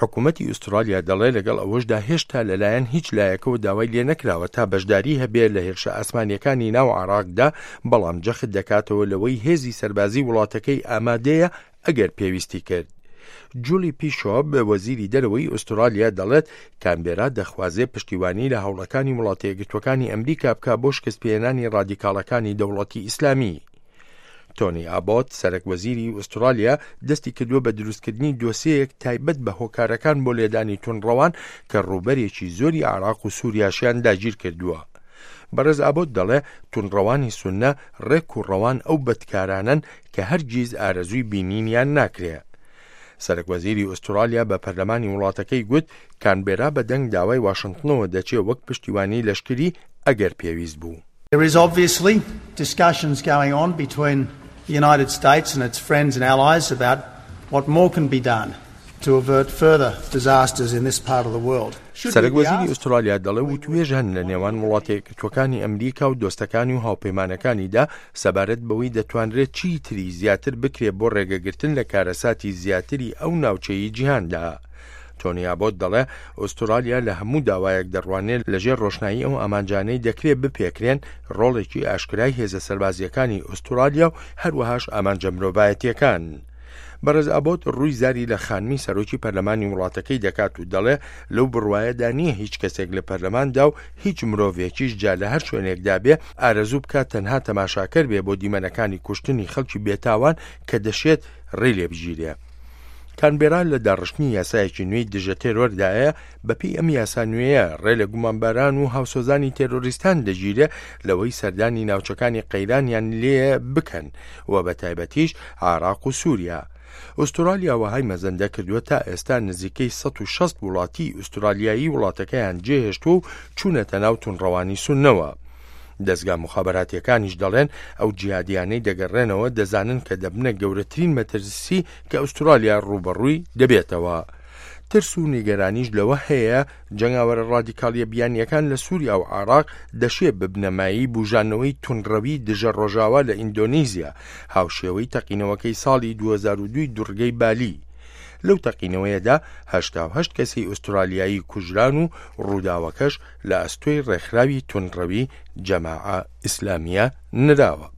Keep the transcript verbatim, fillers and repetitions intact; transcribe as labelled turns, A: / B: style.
A: حکوومەتی ئوسترالیا دەڵێ لەگەڵ ئەوەشدا هێشتا لەلایەن هیچ لایەکەوە داوای لێ نەکراوە تا بەشداری هەبێ لە هێرشە ئاسمانیەکانی ناو عراقدا، بەڵام جەخت دەکاتەوە لەوەی هێزی سەربازی وڵاتەکەی ئامادەیە ئەگەر پێویستی کرد. جولی پیشۆپ وەزیری دەرەوەی ئوسترالیا دەڵێت کانبێرا دەخوازێ پشتیوانی لە هەوڵەکانی وڵاتە یەکگرتووەکانی ئەمریکا بکا بۆ شکستپێهێنانی ڕادیکاڵەکانی دەوڵەتی ئیسلامی. تۆنی ئابۆت سەرەک وەزیری ئوسترالیا دەستی کردووە بە دروستکردنی دۆسیەیەک تایبەت بە هۆکارەکان بۆ لێدانی توندڕەوان کە ڕووبەرێکی زۆری عراق و سووریاشیان داگیر کردووە. بەڕێز ئابۆت دەڵێ توندڕەوانی سونە ڕێک و ڕەوان ئەو بەدکارانەن کە هەرگیز ئارەزووی بینینیان ناکرێ. سەرەک وەزیری ئوسترالیا بە پەرلەمانی وڵاتەکەی گوت کانبێرا بە دەنگ داوای واشنگتنەوە دەچێ وەک پشتیوانی لەشکری ئەگەر پێویست بوو.
B: There is obviously discussions going on between the United States and its friends and allies about what more can be done to avert further disasters in this part of the world.
A: سەرەک وەزیری ئوسترالیا دەڵێ وتوێژ هەن لە نێوان وڵاتە یەکگرتووەکانی ئەمریکا و دۆستەکانی و هاوپەیمانەکانیدا سەبارەت بەوەی دەتوانرێت چی تری زیاتر بکرێت بۆ ڕێگەگرتن لە کارەساتی زیاتری ئەو ناوچەی جیهاندا. تۆنی ئابۆت دەڵێ ئوسترالیا لە هەموو داوایەک دەڕوانێت لەژێر ڕۆشنایی ئەو ئامانجانەی دەکرێت بپێکرێن ڕۆڵێکی ئاشکرای هێزە سەربازیەکانی ئوسترالیا و هەروەهاش ئامانجە مرۆڤایەتیەکان. بەڕێز ئابۆت ڕووی زاری لە خانمی سەرۆکی پەرلەمانی وڵاتەکەی دەکات و دەڵێ لەو بڕوایەدا نییە هیچ کەسێک لە پەرلەماندا و هیچ مرۆڤێکیش جا لە هەر شوێنێکدا بێ ئارەزوو بکات تەنها تەماشاکەر بێ بۆ دیمەنەکانی کوشتنی خەڵکی بێتاوان کە دەشێت ڕێی لێ بگیرێ. کانبێرا لە داڕشتنی یاسایەکی نوێی دژە تێرۆردایە. بەپێی ئەم یاسا نوێیە ڕێ لە گومانباران و هاوسۆزانی تێرۆریستان دەگیرێ لەوەی سەردانی ناوچەکانی قەیرانیان لێ بکەن و بە تایبەتیش عراق و سووریا. ئوسترالیا وەهای مەزەندە کردووە تا ئێستا نزیکەی سەد و شەست وڵاتی ئوسترالیایی وڵاتەکەیان جێهێشتووە و چوونەتە ناو توندڕەوانی سوننەوە. دەستگا مخابراتیەکانیش دەڵێن ئەو جیهادیانەی دەگەڕێنەوە دەزانن کە دەبنە گەورەترین مەترسی کە ئوسترالیا ڕووبەڕووی دەبێتەوە. ترس و نیگەرانیش لەوە هەیە جەنگاوەرە ڕادیکالیە بیانیەکان لە سووریا و عراق دەشێ ببنەمایی بژانەوەی توندڕەوی دژە ڕۆژاوا لە ئیندۆنیزیا، هاوشێوەی تەقینەوەکەی ساڵی دوو هەزار و دوو دوڕگەی بالی. لەو تەقینەوەیەدا هەشتا و هەشت کەسی ئوسترالیایی کوژران و ڕووداوەکەش لە ئەستۆی ڕێکخراوی توندڕەوی جەماعە ئیسلامیە نراوە.